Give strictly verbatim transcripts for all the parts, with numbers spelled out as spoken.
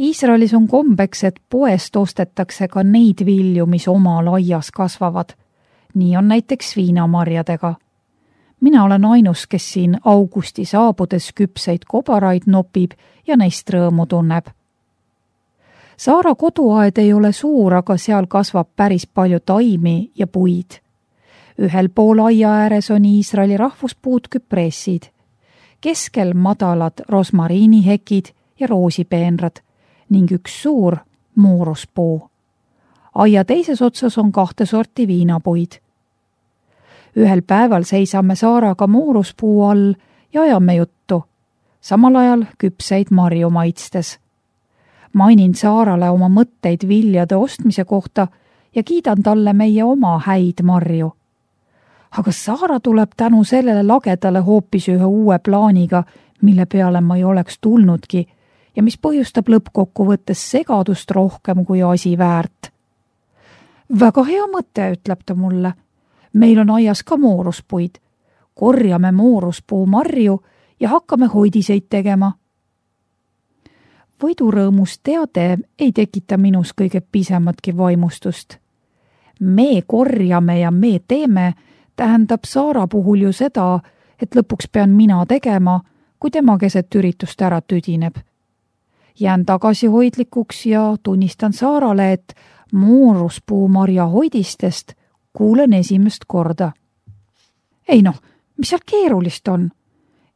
Iisraelis on kombeks, et poest ostetakse ka neid vilju, mis omal aias kasvavad. Nii on näiteks viinamarjadega. Mina olen ainus, kes siin augusti saabudes küpseid kobaraid nopib ja neist rõõmu tunneb. Saara koduaed ei ole suur, aga seal kasvab päris palju taimi ja puid. Ühel pool aia ääres on Iisraeli rahvuspuud küpressid. Keskel madalad rosmariinihekid ja roosipeenrad ning üks suur mooruspuu. Aia teises otsas on kahte sorti viinapuid. Ühel päeval seisame Saaraga mooruspuu all ja ajame juttu, samal ajal küpseid marju maitstes. Mainin Saarale oma mõtteid viljade ostmise kohta ja kiidan talle meie oma häid marju. Aga Saara tuleb tänu sellele lagedale hoopis ühe uue plaaniga, mille peale ma ei oleks tulnudki ja mis põhjustab lõppkokkuvõttes segadust rohkem kui asi väärt. Väga hea mõte, ütleb ta mulle. Meil on aias ka mooruspuid. Korjame mooruspuu marju ja hakkame hoidiseid tegema. Võidurõõmus teade ei tekita minus kõige pisematki vaimustust. Me korjame ja me teeme tähendab Saara puhul ju seda, et lõpuks pean mina tegema, kui tema keset üritust ära tüdineb. Jään tagasihoidlikuks ja tunnistan Saarale, et mooruspuu marja hoidistest kuulen esimest korda. Ei noh, mis seal keerulist on?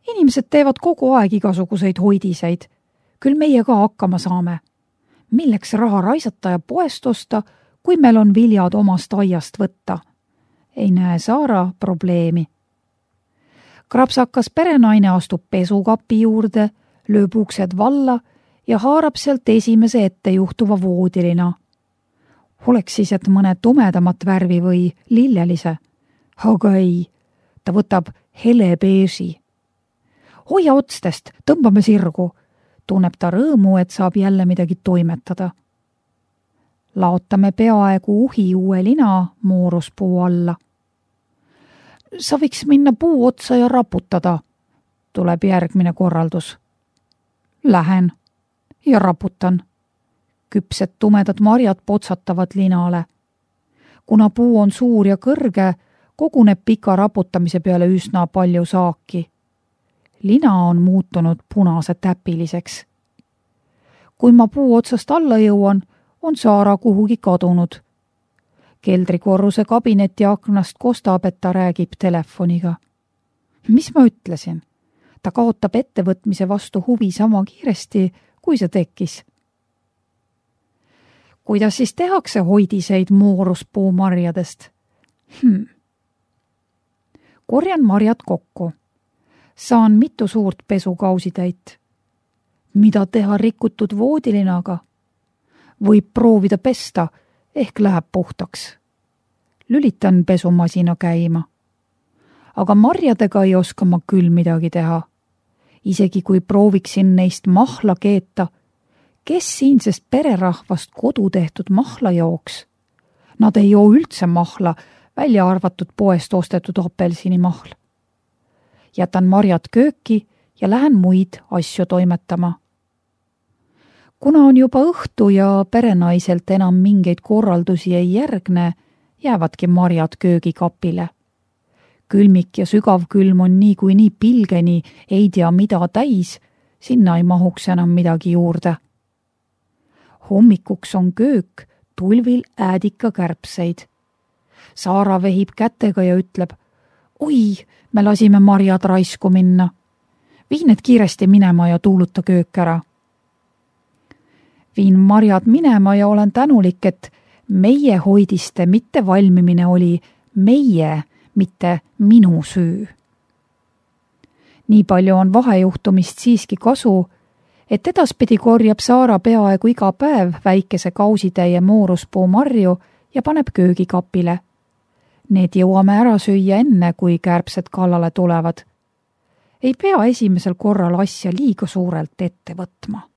Inimesed teevad kogu aeg igasuguseid hoidiseid. Küll meie ka hakkama saame. Milleks raha raisata ja poest osta, kui meil on viljad omast aiast võtta? Ei näe Saara probleemi. Krapsakas perenaine astub pesukapi juurde, lööb uksed valla ja haarab sealt esimese ette juhtuva voodilina. Oleks siis, et mõne tumedamat värvi või lillelise. Aga ei, ta võtab hele beeži. Hoia otstest, tõmbame sirgu. Tunneb ta rõõmu, et saab jälle midagi toimetada. Laotame peaaegu uhi uue lina mooruspuu alla. Sa võiks minna puu otsa ja raputada, tuleb järgmine korraldus. Lähen ja raputan. Küpsed tumedad marjad potsatavad linale. Kuna puu on suur ja kõrge, koguneb pika raputamise peale üsna palju saaki. Lina on muutunud punase täpiliseks. Kui ma puu otsast alla jõuan, on Saara kuhugi kadunud. Keldrikorruse kabineti aknast kostab, et ta räägib telefoniga. Mis ma ütlesin? Ta kaotab ettevõtmise vastu huvi sama kiiresti, kui see tekkis. Kuidas siis tehakse hoidiseid mooruspuu marjadest? Hmm. Korjan marjad kokku. Saan mitu suurt pesukausitäit. Mida teha rikutud voodilinaga? Võib proovida pesta, ehk läheb puhtaks. Lülitan pesumasina käima. Aga marjadega ei oska ma küll midagi teha. Isegi kui prooviksin neist mahla keeta, kes siinsest pererahvast kodu tehtud mahla jooks? Nad ei joo üldse mahla, välja arvatud poest ostetud apelsinimahl. Jätan marjad kööki ja lähen muid asju toimetama. Kuna on juba õhtu ja perenaiselt enam mingeid korraldusi ei järgne, jäävadki marjad köögikapile. Külmik ja sügav külm on nii kui nii pilgeni, ei tea mida täis, sinna ei mahuks enam midagi juurde. Hommikuks on köök tulvil äädika kärbseid. Saara vehib kätega ja ütleb, oi, me lasime marjad raisku minna. Vii need kiiresti minema ja tuuluta köök ära. Viin marjad minema ja olen tänulik, et meie hoidiste mitte valmimine oli meie, mitte minu süü. Nii palju on vahejuhtumist siiski kasu, et edaspidi korjab Saara peaaegu iga päev väikese kausitäie mooruspuu marju ja paneb köögikapile. Need jõuame ära süüa enne, kui kärbsed kallale tulevad. Ei pea esimesel korral asja liiga suurelt ette võtma.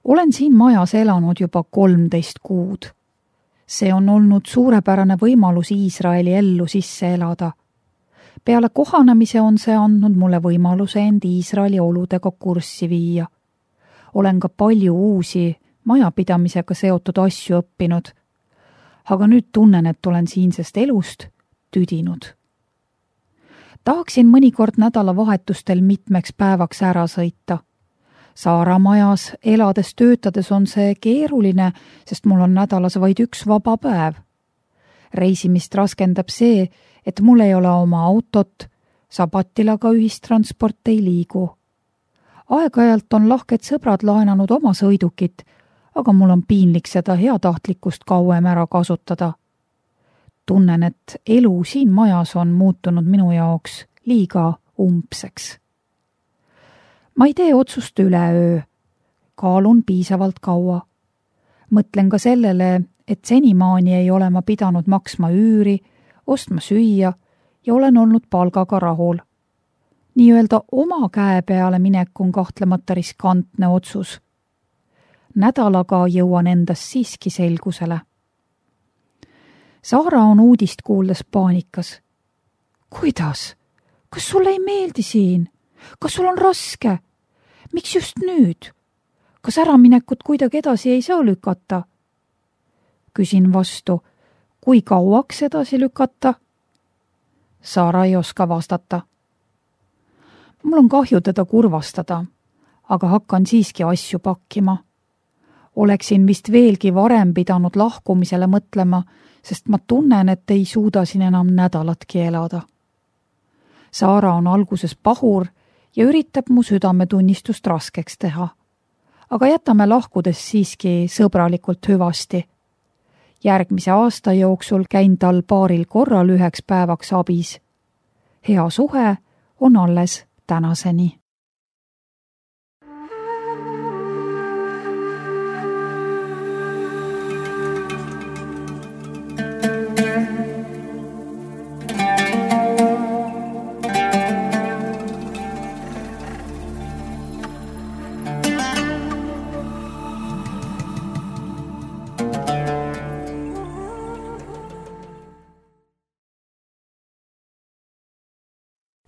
olen siin majas elanud juba kolmteist kuud. See on olnud suurepärane võimalus Iisraeli ellu sisse elada. Peale kohanemise on see andnud mulle võimaluse end Iisraeli oludega kurssi viia. Olen ka palju uusi majapidamisega seotud asju õppinud, aga nüüd tunnen, et olen siinsest elust tüdinud. Tahaksin mõnikord nädalavahetustel mitmeks päevaks ära sõita. Saara majas elades töötades on see keeruline, sest mul on nädalas vaid üks vaba päev. Reisimist raskendab see, et mul ei ole oma autot, sabatil aga ühistransport ei liigu. Aeg-ajalt on lahked sõbrad laenanud oma sõidukit, aga mul on piinlik seda heatahtlikkust kauem ära kasutada. Tunnen, et elu siin majas on muutunud minu jaoks liiga umbseks. Ma ei tee otsust üleöö. Kaalun piisavalt kaua. Mõtlen ka sellele, et senimaani ei ole ma pidanud maksma üüri, ostma süüa ja olen olnud palgaga rahul. Nii-öelda oma käe peale minek on kahtlemata riskantne otsus. Nädalaga jõuan endast siiski selgusele. Saara on uudist kuuldes paanikas. Kuidas? Kas sulle ei meeldi siin? Kas sul on raske? Miks just nüüd? Kas äraminekut kuidagi edasi ei saa lükata? Küsin vastu, kui kauaks edasi lükata? Saara ei oska vastata. Mul on kahju teda kurvastada, aga hakkan siiski asju pakkima. Oleksin vist veelgi varem pidanud lahkumisele mõtlema, sest ma tunnen, et ei suuda siin enam nädalatki elada. Saara on alguses pahur ja üritab mu südametunnistust raskeks teha. Aga jätame lahkudes siiski sõbralikult hüvasti. Järgmise aasta jooksul käin tal paaril korral üheks päevaks abis. Hea suhe on alles tänaseni.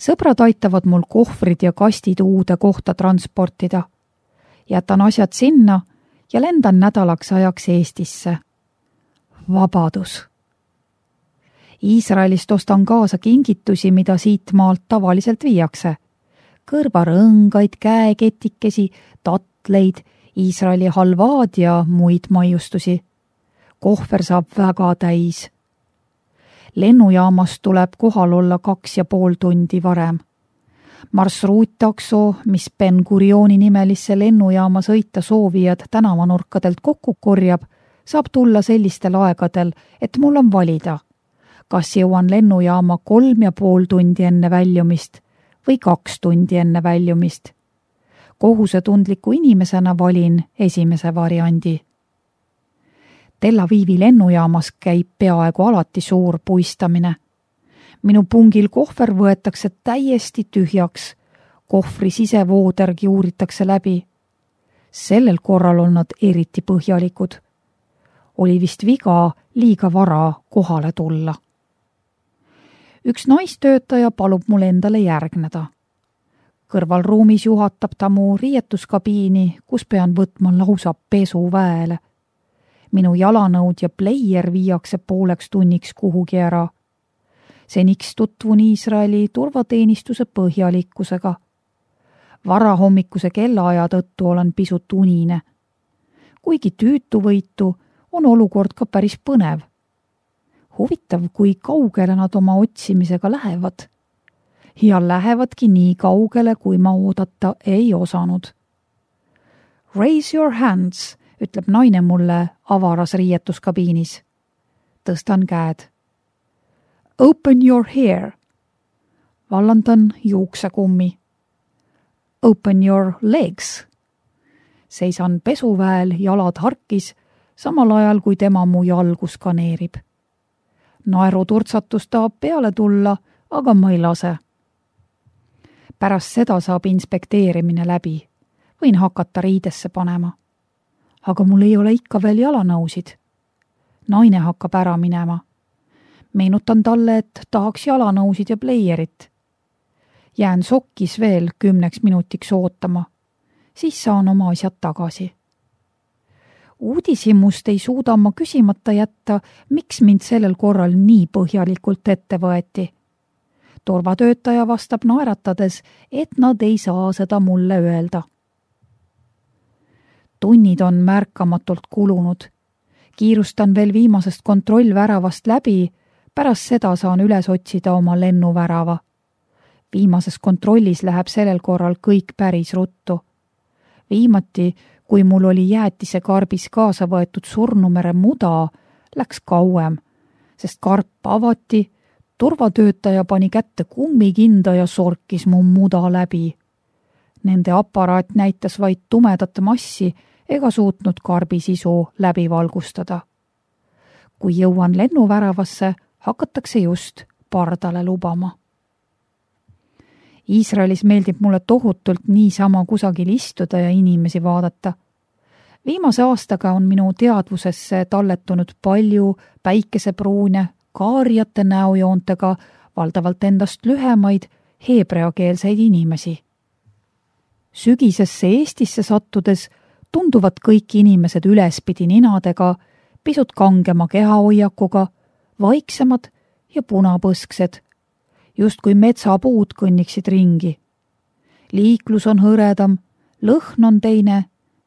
Sõbrad aitavad mul kohvrid ja kastid uude kohta transportida. Jätan asjad sinna ja lendan nädalaks ajaks Eestisse. Vabadus. Iisraelist ostan kaasa kingitusi, mida siit maalt tavaliselt viiakse. Kõrvarõngaid, käeketikesi, tatleid, Iisraeli halvaad ja muid maiustusi. Kohver saab väga täis. Lennujaamast tuleb kohal olla kaks ja pool tundi varem. Marsruuttakso, mis Ben Gurioni nimelisse lennujaama sõita soovijad tänavanurkadelt kokku korjab, saab tulla sellistel aegadel, et mul on valida, kas jõuan lennujaama kolm ja pool tundi enne väljumist või kaks tundi enne väljumist. Kohusetundliku inimesena valin esimese variandi. Tel Avivi lennujaamas käib peaaegu alati suur puistamine. Minu pungil kohver võetakse täiesti tühjaks. Kohvri sisevoodergi uuritakse läbi. Sellel korral on nad eriti põhjalikud. Oli vist viga liiga vara kohale tulla. Üks naistöötaja palub mul endale järgneda. Kõrvalruumis juhatab ta mu riietuskabiini, kus pean võtma lausa pesuväele. Minu jalanõud ja pleier viiakse pooleks tunniks kuhugi ära. Seniks tutvun Iisraeli turvateenistuse põhjalikkusega. Varahommikuse kellaaja tõttu olen pisut unine. Kuigi tüütuvõitu on olukord ka päris põnev. Huvitav, kui kaugele nad oma otsimisega lähevad. Ja lähevadki nii kaugele, kui ma oodata ei osanud. Raise your hands, ütleb naine mulle avaras riietuskabiinis. Tõstan käed. Open your hair. Vallandan juuksekummi. Open your legs. Seisan pesuväel jalad harkis, samal ajal kui tema mu jalgu skaneerib. Naeruturtsatus tahab peale tulla, aga ma ei lase. Pärast seda saab inspekteerimine läbi. Võin hakata riidesse panema. aga mul ei ole ikka veel jalanõusid. Naine hakkab ära minema. Meenutan talle, et tahaks jalanõusid ja pleierit. Jään sokkis veel kümneks minutiks ootama. Siis saan oma asjad tagasi. Uudishimust ei suuda ma küsimata jätta, miks mind sellel korral nii põhjalikult ette võeti. Turvatöötaja vastab naeratades, et nad ei saa seda mulle öelda. Tunnid on märkamatult kulunud. Kiirustan veel viimasest kontrollväravast läbi, pärast seda saan üles otsida oma lennuvärava. Viimases kontrollis läheb sellel korral kõik päris ruttu. Viimati, kui mul oli jäätise karbis kaasa võetud Surnumere muda, läks kauem, sest karp avati, turvatöötaja pani kätte kummikinda ja sorkis mu muda läbi. Nende aparaat näitas vaid tumedat massi ega suutnud karbi sisu läbi valgustada. Kui jõuan lennuväravasse, hakatakse just pardale lubama. Iisraelis meeldib mulle tohutult niisama kusagil istuda ja inimesi vaadata. Viimase aastaga on minu teadvusesse talletunud palju päikesepruune, kaarjate näojoontega, valdavalt endast lühemaid, heebreakeelseid inimesi. Sügisesse Eestisse sattudes tunduvad kõik inimesed ülespidi ninadega, pisut kangema kehahoiakuga, vaiksemad ja punapõsksed, justkui metsapuud kõnniksid ringi. Liiklus on hõredam, lõhn on teine,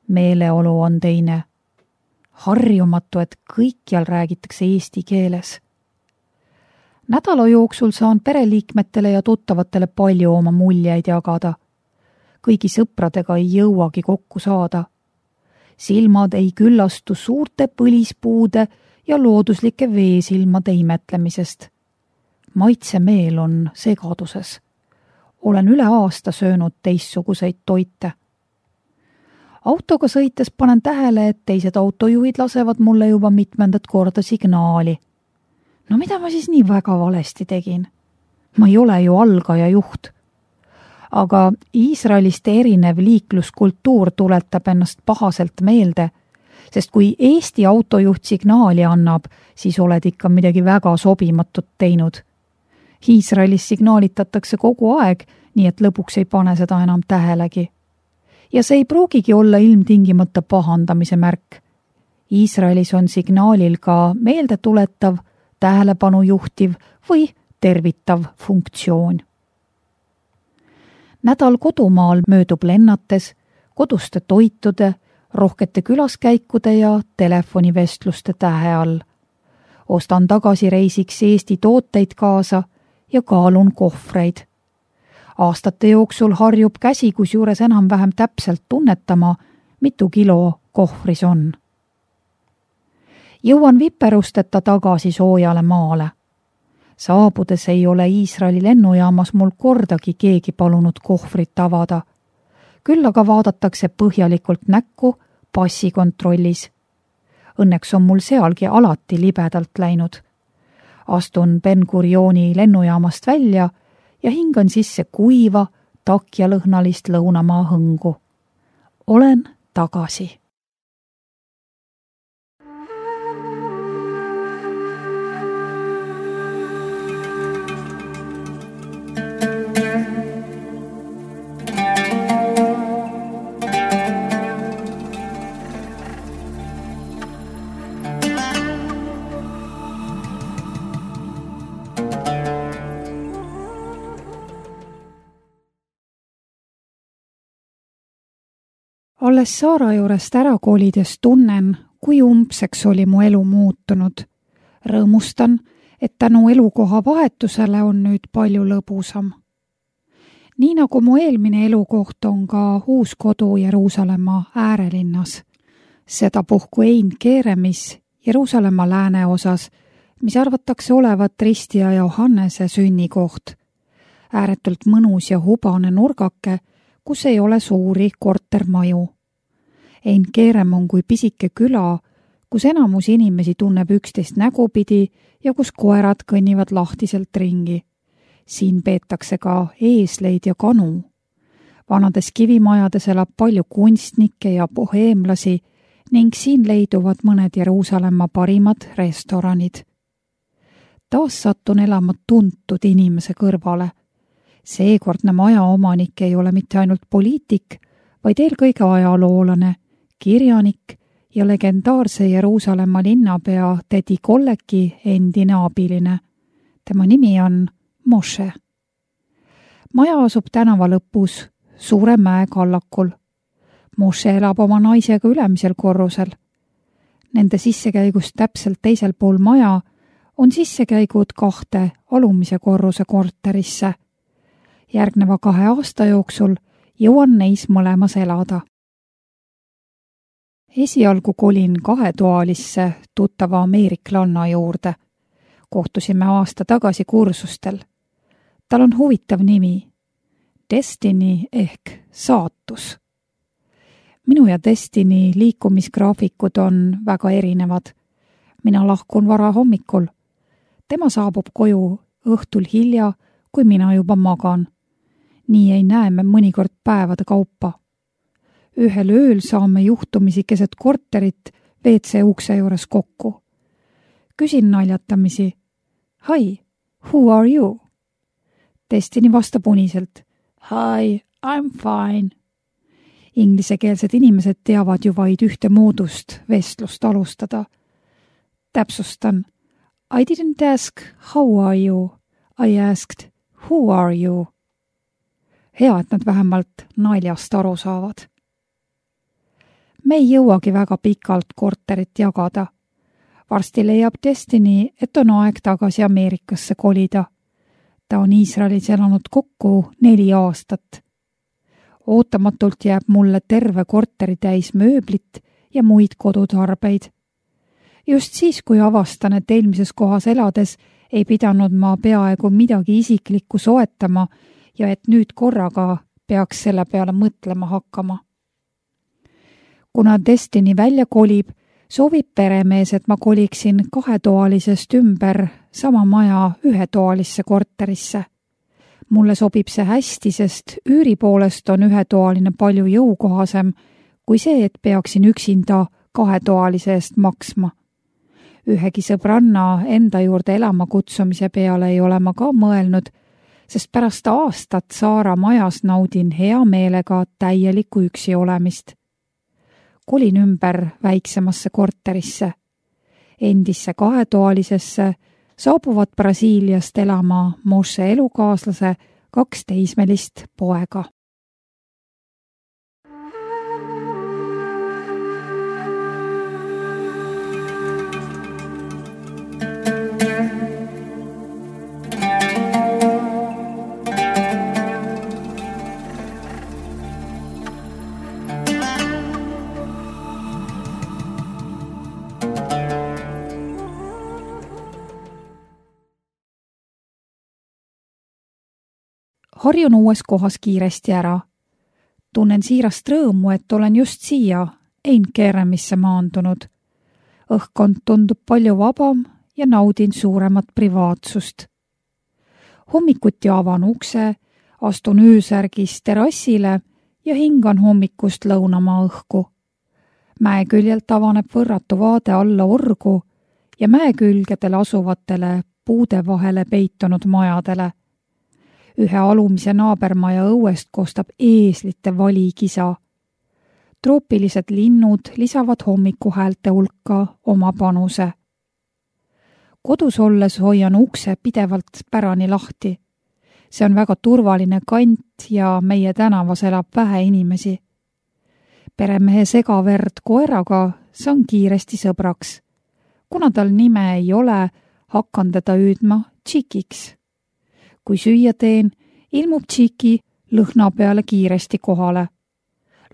meeleolu on teine. Harjumatu, et kõikjal räägitakse eesti keeles. Nädala jooksul saan pereliikmetele ja tuttavatele palju oma muljeid jagada. Kõigi sõpradega ei jõuagi kokku saada. Silmad ei küllastu suurte põlispuude ja looduslike veesilmade imetlemisest. Maitsemeel on segaduses. Olen üle aasta söönud teistsuguseid toite. Autoga sõites panen tähele, et teised autojuhid lasevad mulle juba mitmendat korda signaali. No mida ma siis nii väga valesti tegin? Ma ei ole ju algaja juht. Aga Iisraelist erinev liikluskultuur tuletab ennast pahaselt meelde, sest kui Eesti autojuht signaali annab, siis oled ikka midagi väga sobimatut teinud. Iisraelis signaalitatakse kogu aeg, nii et lõpuks ei pane seda enam tähelegi. Ja see ei pruugigi olla ilmtingimata pahandamise märk. Iisraelis on signaalil ka meeldetuletav, tähelepanu juhtiv või tervitav funktsioon. Nädal kodumaal möödub lennates, koduste toitude, rohkete külaskäikude ja telefonivestluste tähe all. Ostan tagasi reisiks Eesti tooteid kaasa ja kaalun kohvreid. Aastate jooksul harjub käsi, kusjuures enam-vähem täpselt tunnetama, mitu kilo kohvris on. Jõuan viperusteta tagasi soojale maale. Saabudes ei ole Iisraeli lennujaamas mul kordagi keegi palunud kohvrit avada. Küll aga vaadatakse põhjalikult näkku passikontrollis. Õnneks on mul sealgi alati libedalt läinud. Astun Ben Gurioni lennujaamast välja ja hingan sisse kuiva, takjalõhnalist lõunamaa hõngu. Olen tagasi. Alles Saara juurest ära kolides tunnen, kui umbseks oli mu elu muutunud. Rõõmustan, et tänu elukoha vahetusele on nüüd palju lõbusam. Nii nagu mu eelmine elukoht on ka uus kodu Jeruusalemma äärelinnas. Sedapuhku Ein Keremis Jeruusalemma lääneosas, mis arvatakse olevat Ristija Johannese sünnikoht. Ääretult mõnus ja hubane nurgake, kus ei ole suuri kortermaju. Ein Kerem on kui pisike küla, kus enamus inimesi tunneb üksteist nägupidi ja kus koerad kõnnivad lahtiselt ringi. Siin peetakse ka eesleid ja kanu. Vanades kivimajades elab palju kunstnikke ja boheemlasi ning siin leiduvad mõned Jeruusalemma parimad restoranid. Taas sattun elama tuntud inimese kõrvale. Seekordne maja omanik ei ole mitte ainult poliitik, vaid eelkõige ajaloolane, kirjanik ja legendaarse Jeruusalemma linnapea Tedi Kolleki endine abiline. Tema nimi on Moshe. Maja asub tänava lõpus, suure mäe kallakul. Moshe elab oma naisega ülemisel korrusel. Nende sissekäigust täpselt teisel pool maja on sissekäigud kahte alumise korruse korterisse. Järgneva kahe aasta jooksul jõuan neis mõlemas elada. Esialgu kolin kahetoalisse tuttava ameeriklanna juurde. Kohtusime aasta tagasi kursustel. Tal on huvitav nimi. Destiny ehk saatus. Minu ja Destiny liikumisgraafikud on väga erinevad. Mina lahkun vara hommikul. Tema saabub koju õhtul hilja, kui mina juba magan. Nii ei näe me mõnikord päevade kaupa. Ühel ööl saame juhtumisi keset korterit V C ukse juures kokku. Küsin naljatamisi. Hi, who are you? Destiny vastab uniselt. Hi, I'm fine. Inglisekeelsed inimesed teavad ju vaid ühte moodust vestlust alustada. Täpsustan. I didn't ask how are you. I asked who are you. Hea, et nad vähemalt naljast aru saavad. Me ei jõuagi väga pikalt korterit jagada. Varsti leiab Destiny, et on aeg tagasi Ameerikasse kolida. Ta on Iisraelis elanud kokku neli aastat. Ootamatult jääb mulle terve korteri täis mööblit ja muid kodutarbeid. Just siis, kui avastan, et eelmises kohas elades ei pidanud ma peaaegu midagi isiklikku soetama ja et nüüd korraga peaks selle peale mõtlema hakkama. Kuna Destiny välja kolib, soovib peremees, et ma koliksin kahetoalisest ümber sama maja ühetoalisse korterisse. Mulle sobib see hästi, sest üüri poolest on ühetoaline palju jõukohasem kui see, et peaksin üksinda kahetoalise eest maksma. Ühegi sõbranna enda juurde elama kutsumise peale ei ole ma ka mõelnud, sest pärast aastat Saara majas naudin hea meelega täielikku üksi olemist. Kolin ümber väiksemasse korterisse. Endisse kahetoalisesse saabuvad Brasiiliast elama Moshe elukaaslase kaks teismelist poega. Harjun uues kohas kiiresti ära. Tunnen siirast rõõmu, et olen just siia, Ein-Keremisse maandunud. Õhkkond tundub palju vabam ja naudin suuremat privaatsust. Hommikuti avan ukse, astun öösärgis terrassile ja hingan hommikust lõunamaa õhku. Mäe küljelt avaneb võrratu vaade alla orgu ja mäe külgedel asuvatele puude vahele peitunud majadele. Ühe alumise naabermaja õuest kostab eeslite valikisa. Troopilised linnud lisavad hommikuhäälte hulka oma panuse. Kodus olles hoian ukse pidevalt pärani lahti. See on väga turvaline kant ja meie tänavas elab vähe inimesi. Peremehe segaverd koeraga saan kiiresti sõbraks. Kuna tal nime ei ole, hakkan teda hüüdma Tšikiks. Kui süüa teen, ilmub Tšiki lõhna peale kiiresti kohale.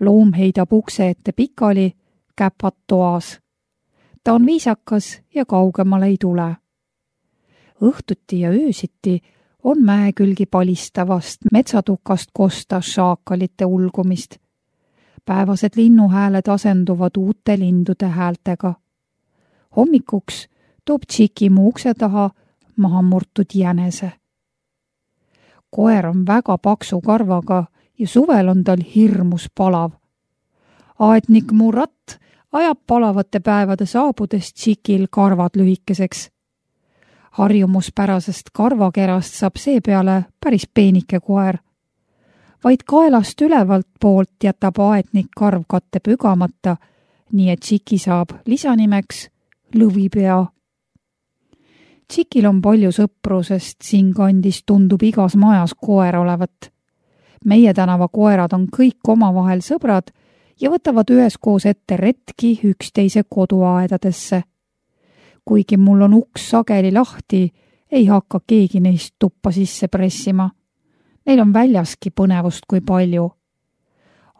Loom heidab ukse ette pikali, käpad toas. Ta on viisakas ja kaugemale ei tule. Õhtuti ja öösiti on mäekülgi palistavast metsatukast kosta šaakalite ulgumist. Päevased linnuhääled asenduvad uute lindude häältega. Hommikuks toob Tšiki mu ukse taha maha murtud jänese. Koer on väga paksu karvaga ja suvel on tal hirmus palav. Aednik Murat, ajab palavate päevade saabudes Tšikil karvad lühikeseks. Harjumuspärasest karvakerast saab seepeale päris peenike koer. Vaid kaelast ülevalt poolt jätab aetnik karvkatte pügamata, nii et Tšiki saab lisanimeks lõvipea. Tšikil on palju sõpru, sest siinkandis tundub igas majas koer olevat. Meie tänava koerad on kõik omavahel sõbrad ja võtavad üheskoos ette retki üksteise koduaedadesse. Kuigi mul on uks sageli lahti, ei hakka keegi neist tuppa sisse pressima. Neil on väljaski põnevust kui palju.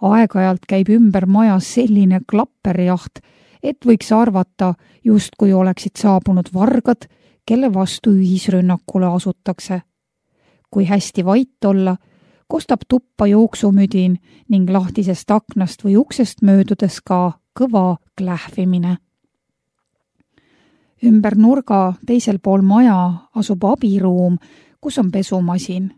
Aeg-ajalt käib ümber majas selline klapperjaht, et võiks arvata, just kui oleksid saabunud vargad, kelle vastu ühisrünnakule asutakse. Kui hästi vait olla, kostab tuppa jooksumüdin ning lahtisest aknast või uksest möödudes ka kõva klähvimine. Ümber nurga teisel pool maja asub abiruum, kus on pesumasin.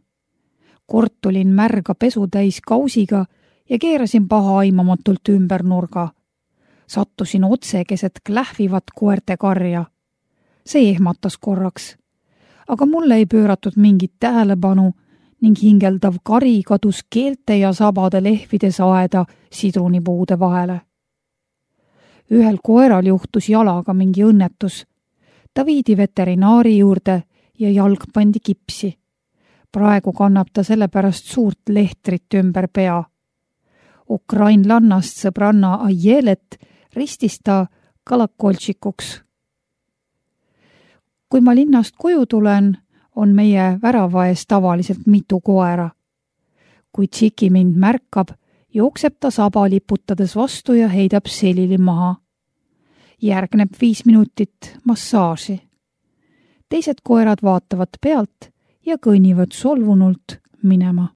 Kord tulin märga pesu täis kausiga ja keerasin paha aimamatult ümber nurga. Sattusin otse keset klähvivat koerte karja. See ehmatas korraks, aga mulle ei pööratud mingit tähelepanu ning hingeldav kari kadus keelte ja sabade lehvides aeda sidrunipuude vahele. Ühel koeral juhtus jalaga mingi õnnetus. Ta viidi veterinaari juurde ja jalg pandi kipsi. Praegu kannab ta sellepärast suurt lehtrit ümber pea. Ukrainlannast sõbranna Ajelet ristis ta kalakoltšikuks. Kui ma linnast koju tulen, on meie värava ees tavaliselt mitu koera. Kui Tšiki mind märkab, jookseb ta saba liputades vastu ja heidab selili maha. Järgneb viis minutit massaaži. Teised koerad vaatavad pealt ja kõnnivad solvunult minema.